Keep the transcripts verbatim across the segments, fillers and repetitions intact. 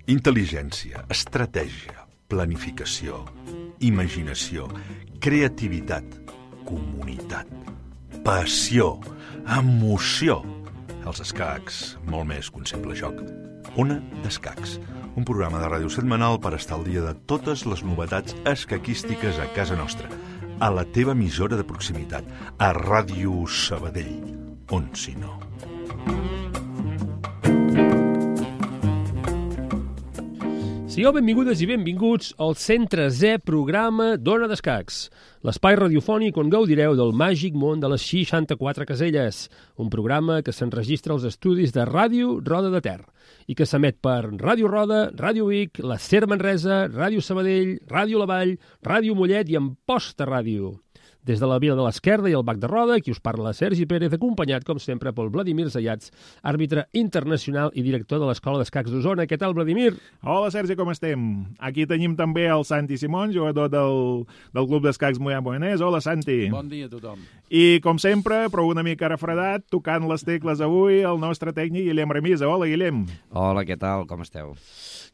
Intel·ligència, estratègia, planificació, imaginació, creativitat, comunitat, passió, emoció. Els escacs, molt més que un simple joc. Ona d'Escacs, un programa de ràdio setmanal per estar al dia de totes les novetats escaquístiques a casa nostra, a la teva emissora de proximitat, a Ràdio Sabadell, on si no. Sigueu benvingudes i benvinguts al Centre Z programa d'Ona d'Escacs, l'espai radiofònic on gaudireu del màgic món de les seixanta-quatre caselles, un programa que s'enregistra als estudis de Ràdio Roda de Ter i que s'emet per Ràdio Roda, Ràdio Vic, la Ser Manresa, Ràdio Sabadell, Ràdio La Vall, Ràdio Mollet i Amposta Ràdio. Des de la Vila de l'Esquerda i el Bac de Roda, qui us parla Sergi Pérez, acompanyat, com sempre, pel Vladimir Zayats, àrbitre internacional i director de l'Escola d'Escacs d'Osona. Què tal, Vladimir? Hola, Sergi, com estem? Aquí tenim també el Santi Simón, jugador del, del Club d'Escacs Moià Moianès. Hola, Santi. Bon dia a tothom. I, com sempre, però una mica refredat, tocant les tecles avui, el nostre tècnic Guillem Remisa. Hola, Guillem. Hola, què tal? Com esteu?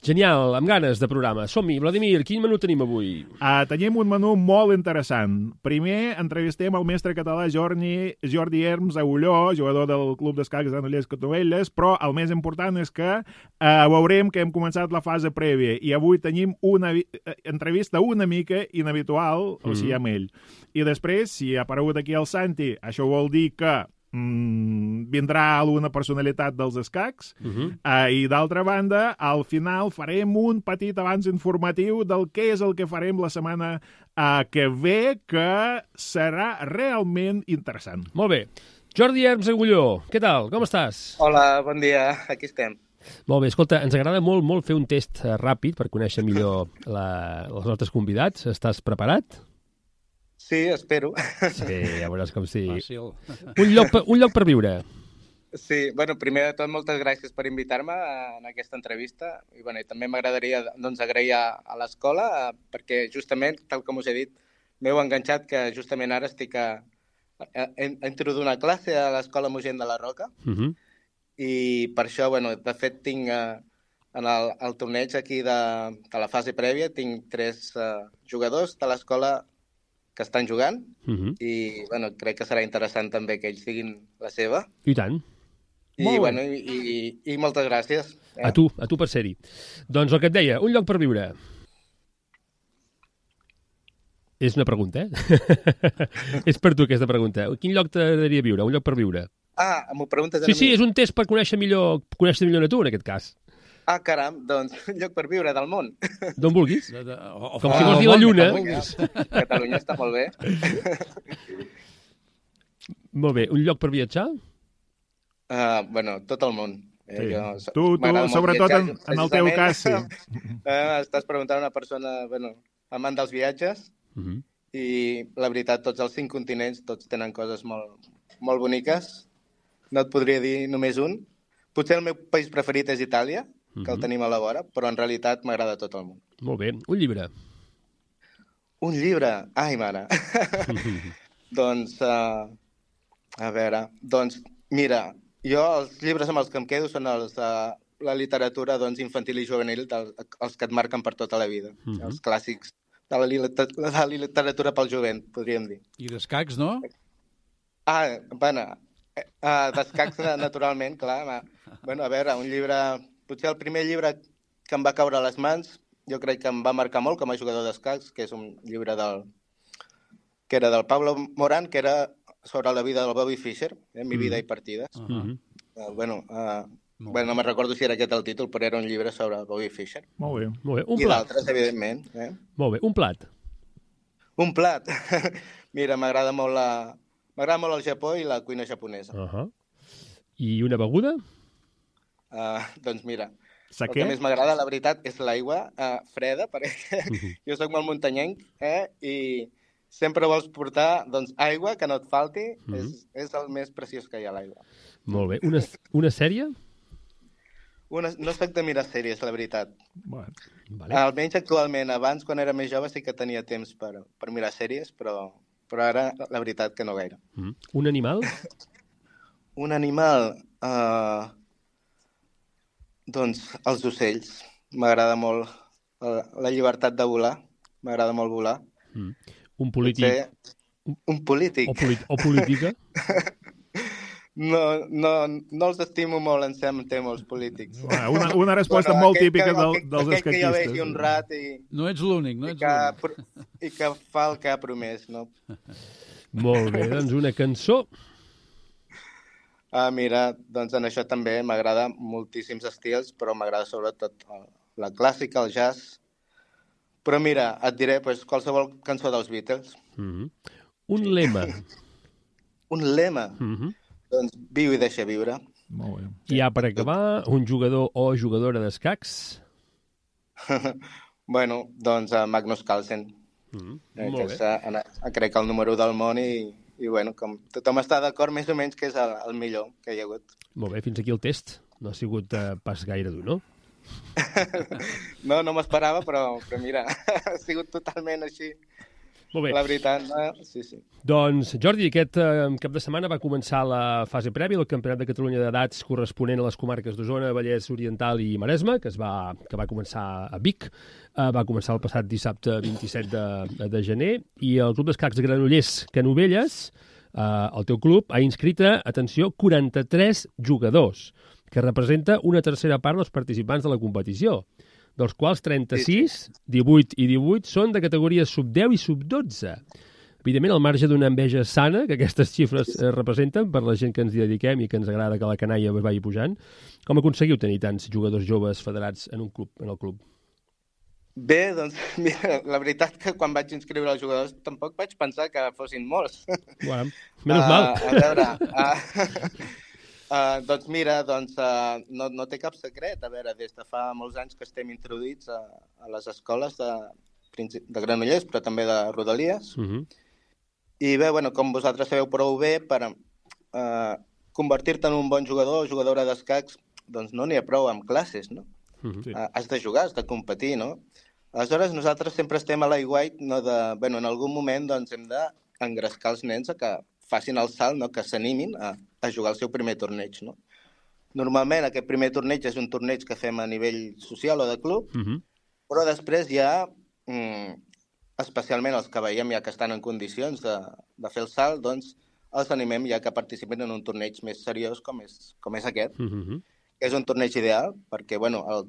Genial, amb ganes de programa. Som-hi. Vladimir, quin menú tenim avui? Uh, tenim un menú molt interessant. Primer, entrevistem el mestre català Jordi, Jordi Herms Agulló, jugador del Club d'Escacs de Granollers Catovelles, però el més important és que uh, veurem que hem començat la fase prèvia i avui tenim una entrevista una mica inhabitual, mm. o sigui, amb ell. I després, si ha aparegut aquí el Santi, això vol dir que Mm, vindrà alguna personalitat dels escacs uh-huh. uh, i d'altra banda al final farem un petit avanç informatiu del què és el que farem la setmana uh, que ve, que serà realment interessant. Molt bé. Jordi Herms Agulló, què tal? Com estàs? Hola, bon dia, aquí estem. Molt bé, escolta, ens agrada molt, molt fer un test ràpid per conèixer millor la, els nostres convidats. Estàs preparat? Sí, espero. Sí, ja veuràs com sí. Fàcil. Un lloc, per, un lloc per viure. Sí, bueno, primer de tot, moltes gràcies per invitar-me en aquesta entrevista. I, bueno, i també m'agradaria doncs, agrair a, a l'escola, perquè justament, tal com us he dit, m'heu enganxat que justament ara estic a, a, a introduir una classe a l'Escola Mogent de la Roca. Uh-huh. I per això, bueno, de fet, tinc uh, en el, el torneig aquí de, de la fase prèvia, tinc tres uh, jugadors de l'escola que estan jugant, uh-huh. i bueno, crec que serà interessant també que ells diguin la seva. I tant. I, bueno, i, i, i moltes gràcies. Eh? A tu, a tu per ser-hi. Doncs el que et deia, un lloc per viure. És una pregunta, eh? És per tu aquesta pregunta. Quin lloc t'agradaria viure? Un lloc per viure. Ah, m'ho preguntes a sí, mi? Sí, és un test per conèixer millor, conèixer millor tu, en aquest cas. Ah, caram, doncs, un lloc per viure del món. D'on vulguis. De, de, o, o, Com si vols dir la Lluna. Catalunya. Catalunya està molt bé. Molt bé. Un lloc per viatjar? Uh, bueno, tot el món. Eh, sí. jo, tu, tu sobretot viatjar, en, en el teu cas, sí. uh, estàs preguntant a una persona, bueno, amant dels viatges, uh-huh. i la veritat, tots els cinc continents, tots tenen coses molt, molt boniques. No et podria dir només un. Potser el meu país preferit és Itàlia, que uh-huh. el tenim a la vora, però en realitat m'agrada tot el món. Molt bé. Un llibre? Un llibre? Ai, mare. Doncs, uh, a veure, doncs, mira, jo els llibres amb els que em quedo són els de uh, la literatura doncs, infantil i juvenil, dels, els que et marquen per tota la vida, uh-huh. els clàssics de la, de la literatura pel jovent, podríem dir. I d'escacs, no? Ah, bueno, uh, d'escacs naturalment, clar. Bueno, a veure, un llibre... Potser el primer llibre que em va caure a les mans, jo crec que em va marcar molt com a jugador d'escacs, que és un llibre del... que era del Pablo Morán, que era sobre la vida del Bobby Fischer, eh, Mi vida i partides. Uh-huh. Uh, bueno, uh, bueno, no me'n recordo si era aquest el títol, però era un llibre sobre Bobby Fischer. Molt bé. Molt bé. Un I plat. d'altres, evidentment. Eh? Molt bé. Un plat. Un plat. Mira, m'agrada molt la... m'agrada molt el Japó i la cuina japonesa. Uh-huh. I una beguda? Uh, doncs mira, Saquer? El que més m'agrada, la veritat, és l'aigua uh, freda, perquè uh-huh. jo soc molt muntanyenc, eh? I sempre vols portar doncs, aigua, que no et falti, uh-huh. és, és el més preciós que hi ha, l'aigua. Molt bé. Una, una sèrie? Una, no soc de mirar sèries, la veritat. Bueno. Vale. Almenys actualment. Abans, quan era més jove, sí que tenia temps per, per mirar sèries, però, però ara la veritat que no gaire. Mm. Un animal? Un animal... Uh, doncs els ocells. M'agrada molt uh, la llibertat de volar. M'agrada molt volar. Mm. Un polític... Potser... Un polític? O, polit... o política? No, no, no els estimo molt, em sembla, tema, els polítics. Una, una resposta bueno, molt típica que, del, aquell, dels aquell escaquistes. que jo vegi un rat i... No ets l'únic, no i ets que, l'únic. I que fa el que ha promès, no? Molt bé, doncs una cançó. Ah, mira, doncs en això també m'agrada moltíssims estils, però m'agrada sobretot la clàssica, el jazz. Però mira, et diré pues, qualsevol cançó dels Beatles. Mm-hmm. Un lema. Un lema? Mm-hmm. Doncs viu i deixa viure. Molt bé. I ja per acabar, un jugador o jugadora d'escacs? Bueno, doncs uh, Magnus Carlsen. Mm-hmm. Eh, Molt que bé. és, uh, crec que el número del món i, i bueno, com tothom està d'acord més o menys que és el, el millor que hi ha hagut. Molt bé, fins aquí el test. No ha sigut uh, pas gaire dur, no? No, no m'esperava, però, però mira, ha sigut totalment així. Molt bé. La veritat, no? Sí, sí. Doncs, Jordi, aquest eh, cap de setmana va començar la fase prèvia del Campionat de Catalunya d'edats corresponent a les comarques d'Osona, Vallès Oriental i Maresme, que, es va, que va començar a Vic. Eh, va començar el passat dissabte vint-i-set de, de gener, i el Club d'Escacs de Granollers Canovelles, eh, el teu club, ha inscrit, atenció, quaranta-tres jugadors, que representa una tercera part dels participants de la competició, dels quals trenta-sis, divuit i divuit són de categories sub deu i sub dotze. Evidentment, al marge d'una enveja sana que aquestes xifres eh, representen per la gent que ens hi dediquem i que ens agrada que la canalla es vagi pujant, com aconseguiu tenir tants jugadors joves federats en un club, en el club? Bé, doncs, mira, la veritat que quan vaig inscriure els jugadors tampoc vaig pensar que fossin molts. Bueno, menys mal. Uh, a veure... Uh, Uh, doncs mira, doncs, uh, no, no té cap secret. A veure, des de fa molts anys que estem introduïts a, a les escoles de, de Granollers, però també de Rodalies. Uh-huh. I bé, bueno, com vosaltres sabeu prou bé, per uh, convertir-te en un bon jugador o jugadora d'escacs, doncs no n'hi ha prou amb classes, no? Uh-huh. Sí. Uh, has de jugar, has de competir, no? Aleshores, nosaltres sempre estem a l'aiguait, no de... Bueno, en algun moment doncs, hem d'engrescar els nens a que facin el salt, no? Que s'animin a, a jugar el seu primer torneig, no? Normalment aquest primer torneig és un torneig que fem a nivell social o de club, Uh-huh. però després ja, mm, especialment els que veiem ja que estan en condicions de, de fer el salt, doncs els animem ja que participin en un torneig més seriós com és, com és aquest. Uh-huh. És un torneig ideal perquè, bueno, el,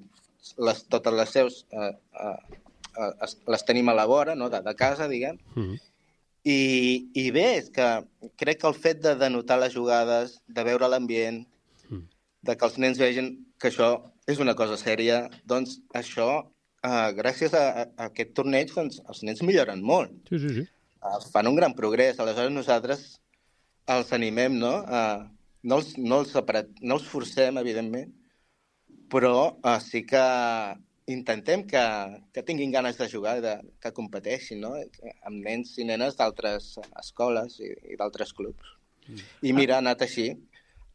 les, totes les seus eh, eh, eh, les tenim a la vora, no? de, de casa, diguem. Uh-huh. I, I bé, és que crec que el fet de denotar les jugades, de veure l'ambient, Mm. de que els nens vegin que això és una cosa sèria, doncs això, eh, gràcies a, a, a aquest torneig, doncs els nens milloren molt. Sí, sí, sí. Eh, fan un gran progrés. Aleshores nosaltres els animem, no? Eh, no, els, no, els apret, no els forcem, evidentment, però eh, sí que intentem que, que tinguin ganes de jugar, de, que competeixin, no? Amb nens i nenes d'altres escoles i, i d'altres clubs. Mm. I mira, ha anat així,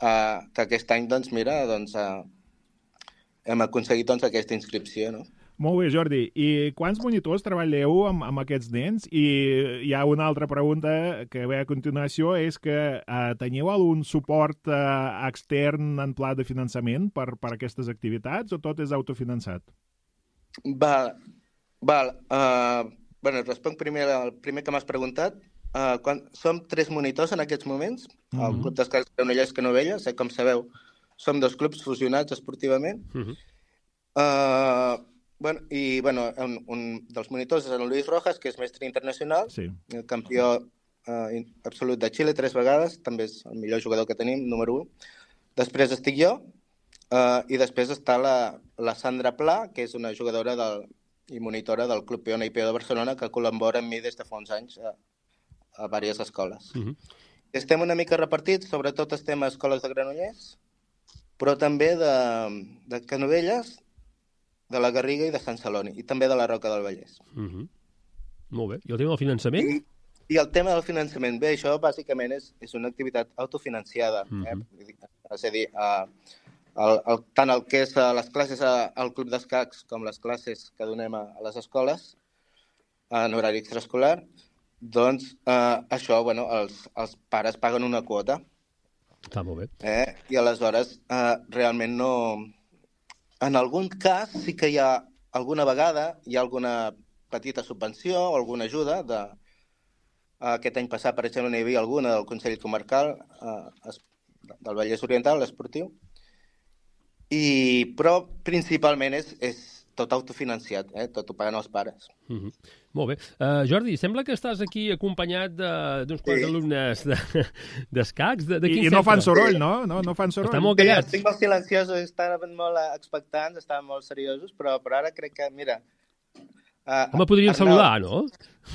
uh, que aquest any, doncs, mira, doncs, uh, hem aconseguit doncs, aquesta inscripció, no? Molt bé, Jordi. I quants monitors treballeu amb, amb aquests nens? I hi ha una altra pregunta que ve a continuació, és que uh, teniu algun suport uh, extern en pla de finançament per, per aquestes activitats o tot és autofinançat? Val, val. Uh, bueno, responc primer al primer que m'has preguntat. Uh, quan, som tres monitors en aquests moments, mm-hmm. El Club d'Escacs Granollers Canovelles, eh, com sabeu, som dos clubs fusionats esportivament. Mm-hmm. uh, bueno, I bueno, un, un dels monitors és el Luis Rojas, que és mestre internacional, sí. El campió uh, absolut de Xile tres vegades, també és el millor jugador que tenim, número un. Després estic jo, Uh, i després està la, la Sandra Pla, que és una jugadora del, i monitora del Club Peona i Peó de Barcelona, que col·labora amb mi des de fa uns anys a, a diverses escoles. Uh-huh. Estem una mica repartits, sobretot estem a escoles de Granollers, però també de, de Canovelles, de la Garriga i de Sant Celoni, i també de la Roca del Vallès. Uh-huh. Molt bé. I el tema del finançament? I, i el tema del finançament, bé, això bàsicament és, és una activitat autofinanciada. Uh-huh. eh? És a dir, uh, el, el, tant el que és a les classes a, al club d'escacs com les classes que donem a, a les escoles en horari extraescolar, doncs eh, això, bueno, els, els pares paguen una quota. Està molt bé. Eh? I aleshores eh, realment no... En algun cas sí que hi ha alguna vegada hi ha alguna petita subvenció o alguna ajuda. De... Aquest any passat, per exemple, n'hi havia alguna del Consell Comarcal eh, del Vallès Oriental, l'esportiu. I... Però principalment és, és tot autofinanciat, eh? Tot ho paguen els pares. Mm-hmm. Molt bé. Uh, Jordi, sembla que estàs aquí acompanyat d'uns quants Sí. alumnes d'escacs. De, de, de I, quin I no fan centre? soroll, no? No, no fan soroll. Estan molt Sí, callats. estic molt silenciosos, estaven molt expectants, estaven molt seriosos, però, però ara crec que, mira... Uh, Home, podríem Arnau, saludar, no?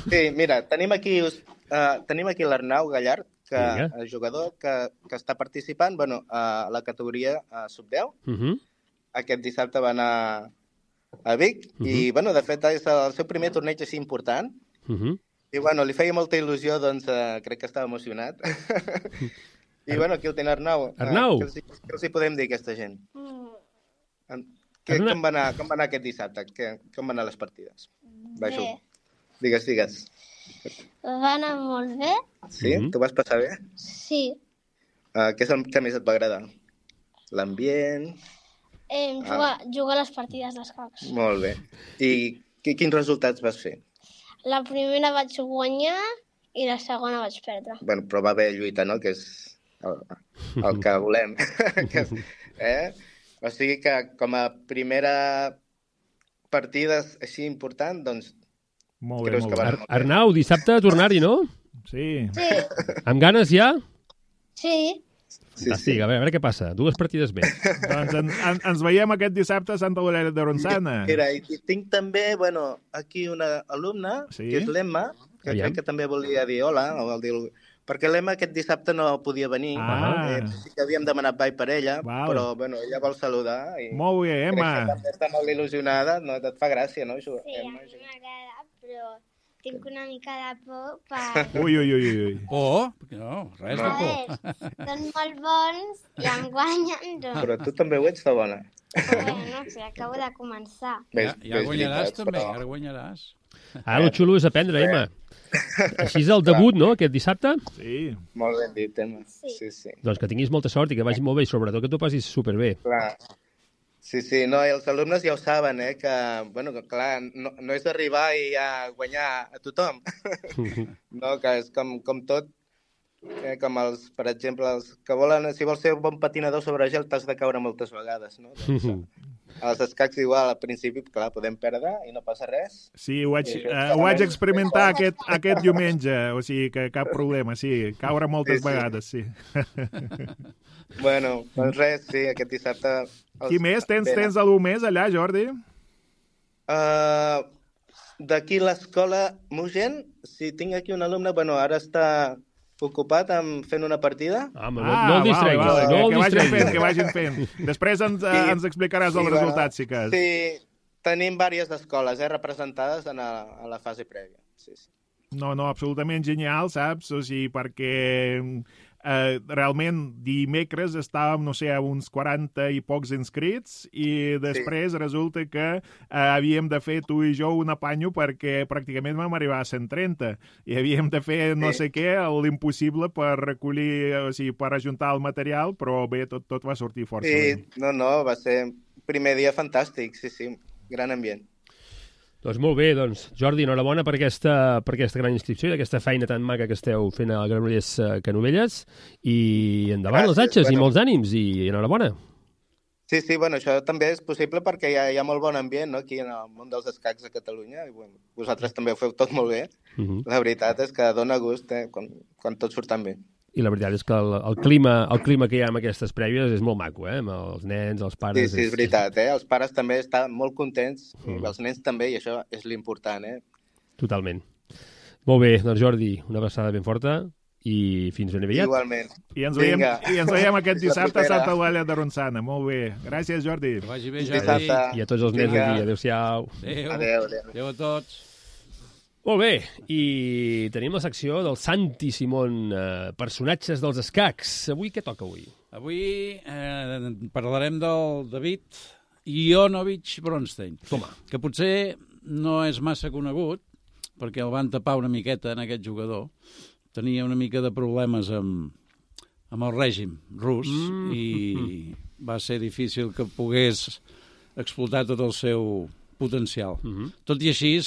Sí, mira, tenim aquí, uh, tenim aquí l'Arnau Gallard, que Vinga. és jugador que, que està participant bueno, a la categoria uh, sub deu. Uh-huh. Aquest dissabte va anar a Vic uh -huh. i, bueno, de fet, és el seu primer torneig així important. Uh-huh. I, bueno, li feia molta il·lusió, doncs uh, crec que estava emocionat. I, bueno, aquí el tenen Arnau. Arnau. Uh, què, els, hi- què els hi podem dir a aquesta gent? En, què, Arnau. com, va anar, com va anar aquest dissabte? Que, com van anar les partides? Va, Bé. Ju. Digues, digues. Va anar molt bé, Sí? Mhm. Tu vas passar bé? sí. Uh, què és el que més et va agradar? L'ambient? Eh, jugar, jugar a les partides d'escacs. Molt bé. I qui, quins resultats vas fer? La primera vaig guanyar i la segona vaig perdre. Bueno, però va haver lluita, no?, que és el, el que volem. que, és- eh? O sigui que com a primera partida així important, doncs Molt bé, creus molt que bé. va Ar anar molt bé. Arnau, dissabte a tornar-hi, no? Sí. Sí, Amb ganes ja? sí. Sí, Fantàstic, a veure, a veure què passa. Dues partides més. Doncs en, en, ens veiem aquest dissabte a Santa Eulàlia de Ronçana. Mira, i i tinc també, bueno, aquí una alumna, Sí? que és l'Emma, que Aviam. crec que també volia dir hola, o vol dir... Perquè l'Emma aquest dissabte no podia venir. Ah. Eh, sí que havíem demanat ball per ella, Val. però, bueno, ella vol saludar. I Molt bé, crec que Emma. també està molt il·lusionada. No, et fa gràcia, no? Això, Sí, a Emma? mi m'agrada, però tinc una mica de por per... Ui, ui, ui, ui. Oh, no, res de A por. veure, són molt bons i em guanyen, doncs. Però tu també ho ets de bona. Bueno, sí, acabo de començar. Ja, ja és guanyaràs veritat, també, però- ara guanyaràs. Ara el xulo és aprendre, Emma. Així és el debut, no?, aquest dissabte? Sí. Molt ben dit, Emma. Sí. Sí, sí. Doncs que tinguis molta sort i que vagi molt bé i sobretot que t'ho passis superbé. Clar. Sí, sí, no, i els alumnes ja ho saben, eh, que, bueno, que clar, no, no és arribar i ja guanyar a tothom. No, que és com, com tot, eh, com els, per exemple, els que volen, si vols ser un bon patinador sobre gel, t'has de caure moltes vegades, no? Doncs, eh, als escacs igual, al principi, clar, podem perdre i no passa res. Sí, ho vaig, Sí, uh, això ho vaig també. experimentar aquest, aquest diumenge, o sigui que cap problema, sí, caure moltes Sí, sí. vegades, sí. Bueno, doncs res, sí, aquest dissabte... Els... Qui més? Tens, venen. tens algú més allà, Jordi? Uh, D'aquí l'escola Mugent, si tinc aquí un alumne, bueno, ara està ocupat amb fent una partida. Ah, home, no, no el distreguis, vale, vale, no que, el que vagin fent, distreguis. que vagin fent. Després ens, uh, Sí. ens explicaràs els Sí, bueno, resultats, si cas. Sí, tenim diverses escoles eh, representades en a, a la fase prèvia. Sí, sí. No, no, absolutament genial, saps? O sigui, perquè eh, realment dimecres estàvem, no sé, a uns quaranta i pocs inscrits i després sí. resulta que eh, havíem de fer tu i jo un apanyo perquè pràcticament vam arribar a cent trenta i havíem de fer no Sí. sé què, l'impossible per recollir, o sigui, per ajuntar el material, però bé, tot, tot va sortir força Sí, bé. no, no, va ser primer dia fantàstic, sí, sí, gran ambient. Doncs molt bé, doncs, Jordi, enhorabona per aquesta, per aquesta gran inscripció i aquesta feina tan maca que esteu fent a Granollers eh, Canovelles i endavant les Gràcies, atxes i bueno. molts ànims i enhorabona. Sí, sí, bueno, això també és possible perquè hi ha, hi ha molt bon ambient no? Aquí en el món dels escacs a Catalunya i bueno, vosaltres també ho feu tot molt bé. Uh -huh. La veritat és que dona gust eh, quan, quan tot surt tan bé. I la veritat és que el, el, clima, el clima que hi ha amb aquestes prèvies és molt maco, eh? Amb els nens, els Sí, pares... sí, és veritat, eh? Els pares també estan molt contents, Mm. i els nens també, i això és l'important, eh? Totalment. Molt bé, doncs Jordi, una abraçada ben forta i fins ben aviat. Igualment. I ens, veiem, Vinga. I ens veiem aquest La dissabte a propera. Santa Eulàlia de Ronçana. Molt bé. Gràcies, Jordi. Que vagi bé, Fins Jordi. dissabte. I a tots els nens Vinga. aquí. Adéu-siau. Adéu. Adéu, adéu. Adéu a tots. Molt bé, i tenim la secció del Santi Simón, eh, personatges dels escacs. Avui què toca avui? Avui eh, parlarem del David Ionovich Bronstein, Toma. que potser no és massa conegut, perquè el van tapar una miqueta en aquest jugador. Tenia una mica de problemes amb, amb el règim rus mm. i va ser difícil que pogués explotar tot el seu potencial. Mm-hmm. Tot i així,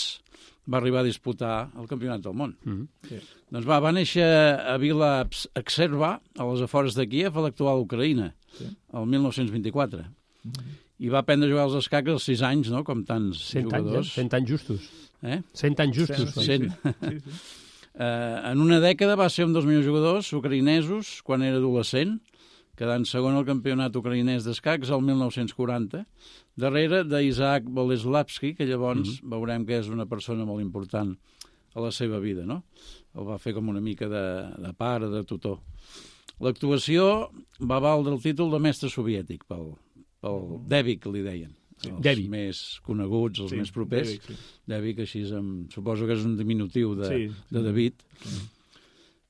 va arribar a disputar el Campionat del Món. Mm-hmm. Sí. Doncs va, va néixer a Vila Exerva, a les afores de Kíev, a l'actual Ucraïna, sí. el mil nou-cents vint-i-quatre. Mm-hmm. I va aprendre a jugar als escacs als sis anys, no?, com tants cent jugadors. Anys, eh? Cent anys justos. Eh? Cent anys justos. Cent. Sí, sí. sí, sí. Uh, en una dècada va ser un dels millors jugadors ucraïnesos quan era adolescent, quedant segon al campionat ucraïnès d'escacs el mil nou-cents quaranta, darrere d'Isaac Boleslavski, que llavors mm-hmm. veurem que és una persona molt important a la seva vida, no? El va fer com una mica de, de pare, de tutor. L'actuació va valdre el títol de mestre soviètic pel, pel Devic, li deien. Sí. Els Devi. Més coneguts, els sí, més propers. Devic, sí. Devic, així em, suposo que és un diminutiu de, sí. de David. Sí.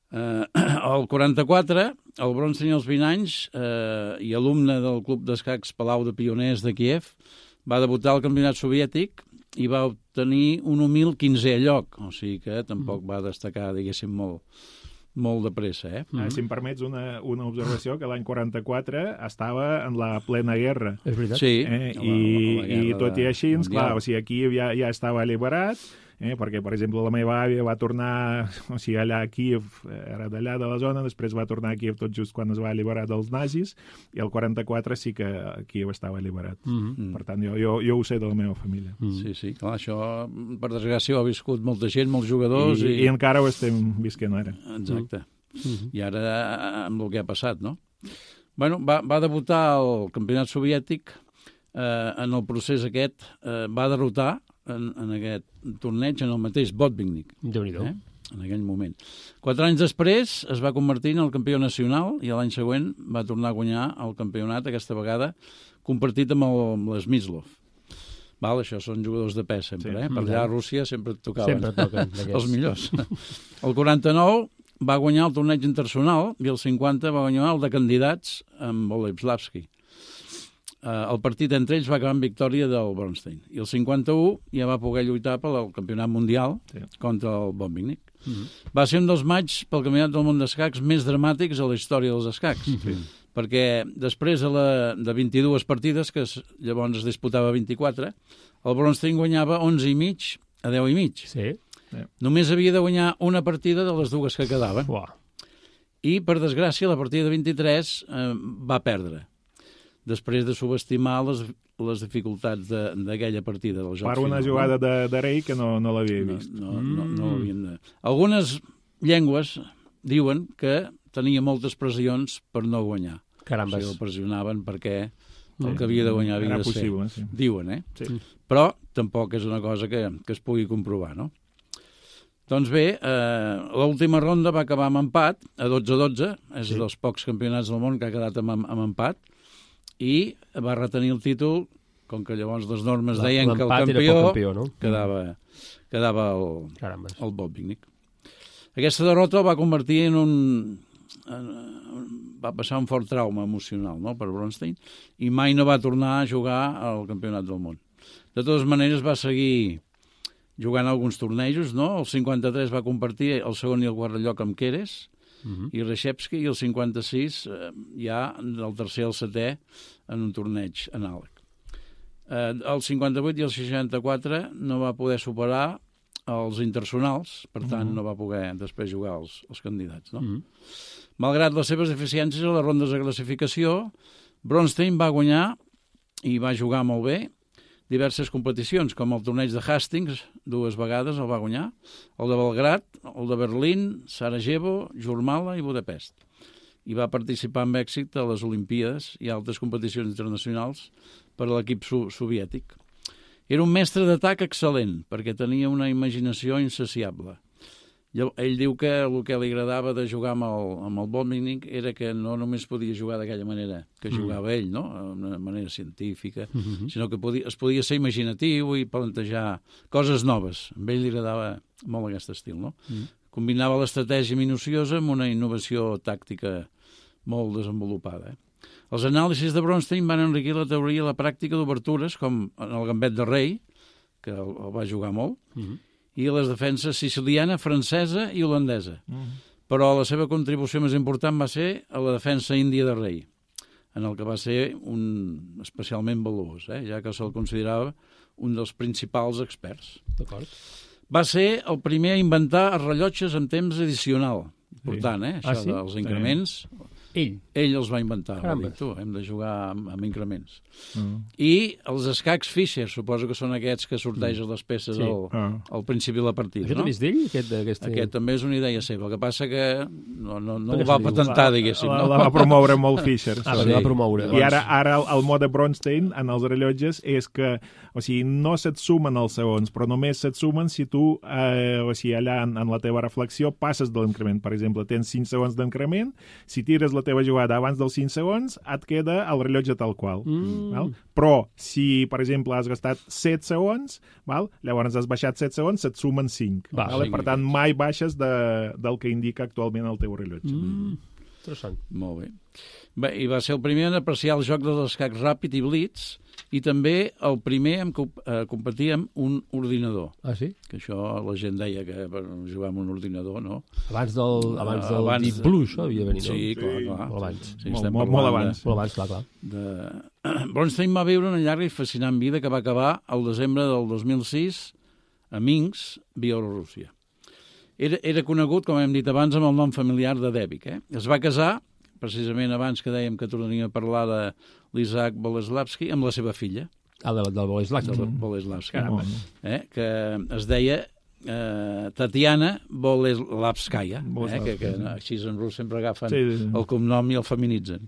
Uh, el quaranta-quatre, el Bronstein als vint anys uh, i alumne del Club d'Escacs Palau de Pioners de Kíev, va debutar al campionat soviètic i va obtenir un humil quinzè lloc, o sigui que tampoc va destacar, diguéssim, molt, molt de pressa. Eh? Mm-hmm. Si em permets una, una observació, que l'any quaranta-quatre estava en la plena guerra. És veritat. Sí. Eh? I, la, la i tot i així, clar, o sigui, aquí ja, ja estava alliberat, eh? perquè, per exemple, la meva àvia va tornar, o sigui, allà a Kíev, era d'allà de la zona, després va tornar a Kíev tot just quan es va alliberar dels nazis, i el quaranta-quatre sí que Kíev estava alliberat. Mm-hmm. Per tant, jo, jo, jo ho sé de la meva família. Mm-hmm. Sí, sí, clar, això, per desgràcia, ho ha viscut molta gent, molts jugadors... I, i... i encara ho estem visquent ara. Exacte. Mm-hmm. I ara, amb el que ha passat, no? Bueno, va, va debutar al campionat soviètic, eh, en el procés aquest, eh, va derrotar en, en aquest torneig en el mateix Botvinnik. Déu-n'hi-do. Eh? En aquell moment. Quatre anys després es va convertir en el campió nacional i l'any següent va tornar a guanyar el campionat, aquesta vegada compartit amb, el, amb l'Smyslov. Val, això són jugadors de pes sempre, sí. eh? Per allà a Rússia sempre et tocaven sempre toquen, els millors. El quaranta-nou va guanyar el torneig internacional i el cinquanta va guanyar el de candidats amb Boleslavski. Uh, el partit entre ells va acabar en victòria del Bronstein. I el cinquanta-u ja va poder lluitar pel campionat mundial sí. contra el Botvinnik. Mm-hmm. Va ser un dels matxs pel campionat del món d'escacs més dramàtics a la història dels escacs. Mm-hmm. Perquè després de, la, de vint-i-dues partides, que es, llavors es disputava vint-i-quatre, el Bronstein guanyava onze i mig a deu i mig. Sí. Sí. Només havia de guanyar una partida de les dues que quedaven. Uah. I, per desgràcia, la partida de vint-i-tres eh, va perdre, després de subestimar les, les dificultats d'aquella partida del joc. Per una final, jugada no? de, de rei que no, no l'havia vist. No, no, no, no l'havien de... Algunes llengües diuen que tenia moltes pressions per no guanyar. Carambes. O sigui, el pressionaven perquè el que havia de guanyar havia Era de possible, ser. Sí. Diuen, eh? Sí. Però tampoc és una cosa que, que es pugui comprovar, no? Doncs bé, eh, l'última ronda va acabar amb empat, a dotze a dotze, és sí. dels pocs campionats del món que ha quedat amb, amb empat, i va retenir el títol, com que llavors les normes la, deien que el campió, campió no? quedava, quedava el, Carambes. el Botvinnik. Aquesta derrota el va convertir en un... En, va passar un fort trauma emocional, no?, per Bronstein, i mai no va tornar a jugar al campionat del món. De totes maneres va seguir jugant alguns tornejos, no? El cinquanta-tres va compartir el segon i el quart lloc amb Keres, Uh-huh. i Reshevsky, i el cinquanta-sis eh, ja del tercer al setè en un torneig anàleg. Eh, el cinquanta-vuit i el seixanta-quatre no va poder superar els internacionals, per tant uh-huh. no va poder després jugar els, els candidats. No? Uh-huh. Malgrat les seves deficiències a les rondes de classificació, Bronstein va guanyar i va jugar molt bé diverses competicions, com el torneig de Hastings, dues vegades el va guanyar, el de Belgrad, el de Berlín, Sarajevo, Jurmala i Budapest. I va participar amb èxit a les Olimpíades i altres competicions internacionals per a l'equip so- soviètic. Era un mestre d'atac excel·lent, perquè tenia una imaginació insaciable. Ell diu que el que li agradava de jugar amb el, amb el Botvinnik era que no només podia jugar d'aquella manera que jugava mm. ell, no? D'una manera científica, mm -hmm. sinó que podia, es podia ser imaginatiu i plantejar coses noves. A ell li agradava molt aquest estil, no? Mm. Combinava l'estratègia minuciosa amb una innovació tàctica molt desenvolupada. Eh? Els anàlisis de Bronstein van enriquir la teoria i la pràctica d'obertures, com en el gambet de rei, que el, el va jugar molt, mm -hmm. i les defenses siciliana, francesa i holandesa. Mm. Però la seva contribució més important va ser a la defensa índia de rei, en el que va ser un especialment valuós, eh? ja que se'l considerava un dels principals experts. D'acord. Va ser el primer a inventar els rellotges amb temps addicional. Important, eh? Això ah, sí? dels increments... Sí. Ell? Ell els va inventar. Va dir, tu, hem de jugar amb, amb increments. Mm. I els escacs Fischer, suposo que són aquests que sortegen mm. les peces sí. al, ah. al principi de la partida. Això no? també és d'ell? Aquest, aquest... aquest també és una idea seva. El que passa que no, no, no el va patentar, diguéssim. La, no? la va promoure molt Fischer. Ah, sí. va promoure. I ara, ara el, el mode Bronstein en els rellotges és que, o sigui, no se't sumen els segons, però només se't sumen si tu, eh, o sigui, allà en, en la teva reflexió passes de l'increment. Per exemple, tens cinc segons d'increment, si tires la teva jugada abans dels cinc segons, et queda el rellotge tal qual. Mm. Val? Però, si, per exemple, has gastat set segons, val? Llavors has baixat set segons, se't sumen cinc. Va, val? Per tant, mai baixes de, del que indica actualment el teu rellotge. Mm. Interessant. Molt bé. Bé, i va ser el primer en apreciar el joc dels escacs ràpid i blitz, i també el primer en co eh, competir amb un ordinador. Ah, sí? Que això la gent deia que per jugar amb un ordinador, no? Abans del, abans del abans Deep Blue, això havia de venir, no? Sí, clar, clar. Molt abans. Sí, molt, molt, molt abans. De, molt abans, clar, clar. De... Bronstein va viure una llarga i fascinant vida que va acabar al desembre del dos mil sis a Minsk, Bielorússia. Era, era conegut, com hem dit abans, amb el nom familiar de Debik. Eh? Es va casar, precisament abans que dèiem que tornaríem a parlar de l'Isaac Boleslavski, amb la seva filla. Ah, del, del Boleslavski. Del Boleslavski, eh? Que es deia eh, Tatiana Boleslavskaya, eh? que, que així en rus sempre agafen sí, sí, sí. el cognom i el feminitzen.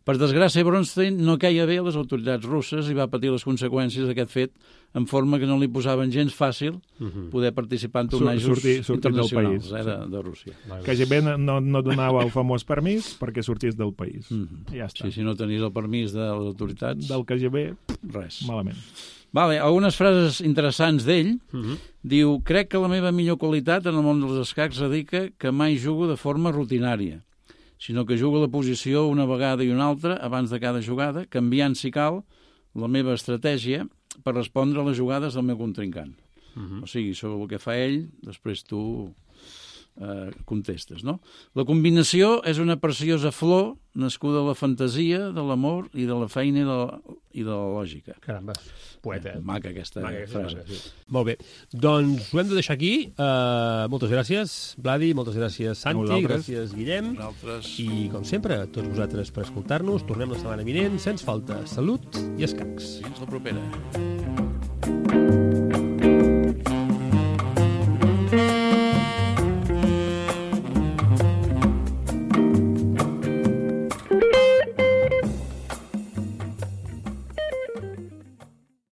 Per desgràcia, Bronstein no queia bé a les autoritats russes i va patir les conseqüències d'aquest fet en forma que no li posaven gens fàcil poder participar en tornejos sortir, sortir internacionals del país, eh, de, de Rússia. K G B no, no donava el famós permís perquè sortís del país. Mm -hmm. Ja està. Sí, si no tenies el permís de les autoritats... Del K G B, res. Malament. Vale, algunes frases interessants d'ell. Mm -hmm. Diu, crec que la meva millor qualitat en el món dels escacs radica que mai jugo de forma rutinària, sinó que jugo la posició una vegada i una altra abans de cada jugada, canviant, si cal, la meva estratègia per respondre a les jugades del meu contrincant. Uh-huh. O sigui, sobre el que fa ell, després tu eh, contestes, no? La combinació és una preciosa flor nascuda de la fantasia, de l'amor i de la feina i de la, i de la lògica. Caramba, poeta. Eh, maca aquesta maca, frase. Maca, sí. Molt bé. Doncs ho hem de deixar aquí. Uh, moltes gràcies, Vladi, moltes gràcies, Santi, gràcies, Guillem. Nosaltres. I, com sempre, a tots vosaltres per escoltar-nos. Tornem la setmana vinent, sense falta. Salut i escacs. Fins la propera.